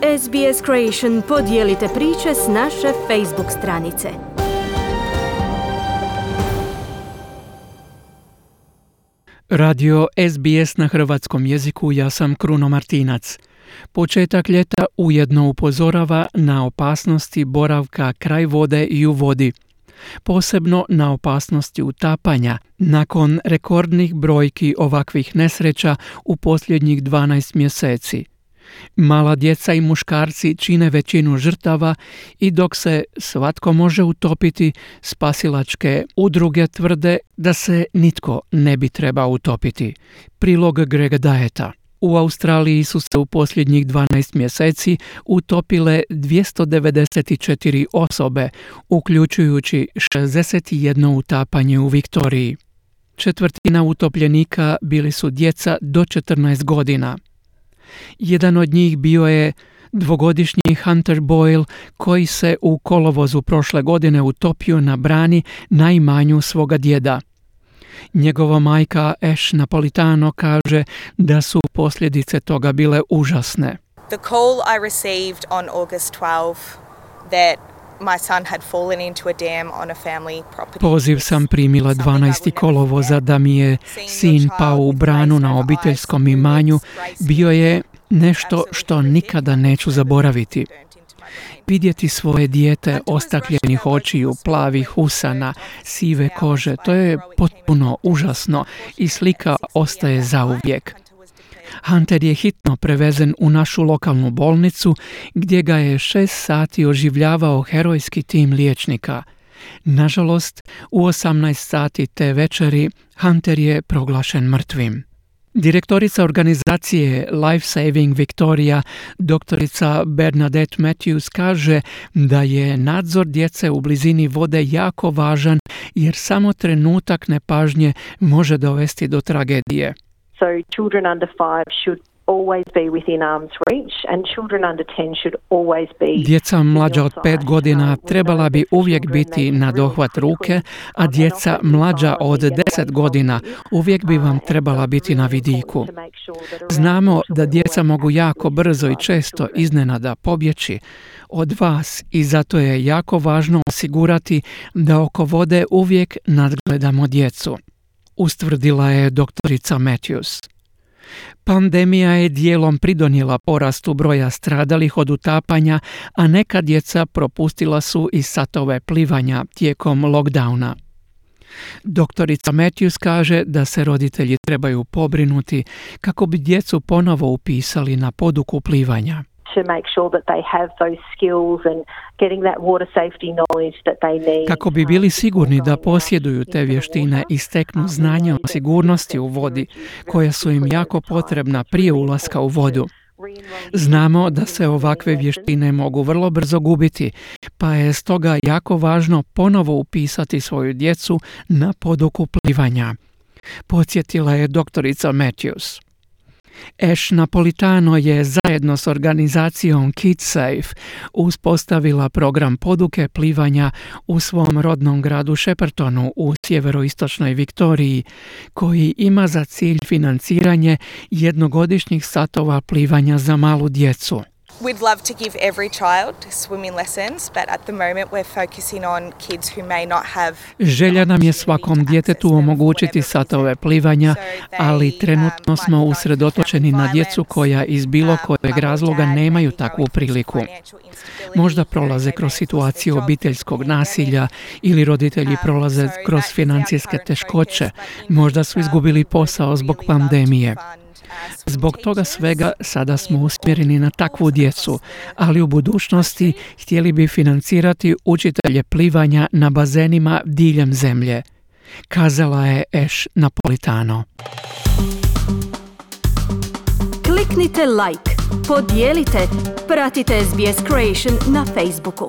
SBS Creation podijelite priče s naše Facebook stranice. Radio SBS na hrvatskom jeziku, ja sam Kruno Martinac. Početak ljeta ujedno upozorava na opasnosti boravka kraj vode i u vodi. Posebno na opasnosti utapanja, nakon rekordnih brojki ovakvih nesreća u posljednjih 12 mjeseci. Mala djeca i muškarci čine većinu žrtava i dok se svatko može utopiti, spasilačke udruge tvrde da se nitko ne bi trebao utopiti. Prilog Grega Dieta. U Australiji su se u posljednjih 12 mjeseci utopile 294 osobe, uključujući 61 utapanje u Viktoriji. Četvrtina utopljenika bili su djeca do 14 godina. Jedan od njih bio je dvogodišnji Hunter Boyle, koji se u kolovozu prošle godine utopio na brani na imanju svoga djeda. Njegova majka Ash Napolitano kaže da su posljedice toga bile užasne. The call I received on August 12 that my son had fallen into a dam on a family property. Poziv sam primila 12. kolovoza da mi je sin pao u branu na obiteljskom imanju, bio je nešto što nikada neću zaboraviti. Vidjeti svoje dijete ostakljenih očiju, plavih usana, sive kože, to je potpuno užasno i slika ostaje zauvijek. Hunter je hitno prevezen u našu lokalnu bolnicu gdje ga je 6 sati oživljavao herojski tim liječnika. Nažalost, u 18 sati te večeri Hunter je proglašen mrtvim. Direktorica organizacije Life Saving Victoria, doktorica Bernadette Matthews, kaže da je nadzor djece u blizini vode jako važan jer samo trenutak nepažnje može dovesti do tragedije. So children under 5 should always be within arm's reach and children under 10 should always be. Djeca mlađa od 5 godina trebala bi uvijek biti na dohvat ruke, a djeca mlađa od 10 godina uvijek bi vam trebala biti na vidiku. Znamo da djeca mogu jako brzo i često iznenada pobjeći od vas i zato je jako važno osigurati da oko vode uvijek nadgledamo djecu, ustvrdila je doktorica Matthews. Pandemija je dijelom pridonijela porastu broja stradalih od utapanja, a neka djeca propustila su i satove plivanja tijekom lockdowna. Doktorica Matthews kaže da se roditelji trebaju pobrinuti kako bi djecu ponovo upisali na poduku plivanja. To make sure that they have those skills and getting that water safety knowledge that they need. Kako bi bili sigurni da posjeduju te vještine i steknu znanja o sigurnosti u vodi, koja su im jako potrebna prije ulaska u vodu. Znamo da se ovakve vještine mogu vrlo brzo gubiti, pa je stoga jako važno ponovo upisati svoju djecu na poduku plivanja, podsjetila je doktorica Matthews. Ash Napolitano je zajedno s organizacijom KidSafe uspostavila program poduke plivanja u svom rodnom gradu Sheppartonu u sjeveroistočnoj Viktoriji, koji ima za cilj financiranje jednogodišnjih satova plivanja za malu djecu. We'd love to give every child swimming lessons, but at the moment we're focusing on kids who may not have. Želja nam je svakom djetetu omogućiti satove plivanja, ali trenutno smo usredotočeni na djecu koja iz bilo kojeg razloga nemaju takvu priliku. Možda prolaze kroz situaciju obiteljskog nasilja ili roditelji prolaze kroz financijske teškoće, možda su izgubili posao zbog pandemije. Zbog toga svega sada smo usmjereni na takvu djecu, ali u budućnosti htjeli bi financirati učitelje plivanja na bazenima diljem zemlje, kazala je Ash Napolitano. Kliknite like, podijelite, pratite SBS Creation na Facebooku.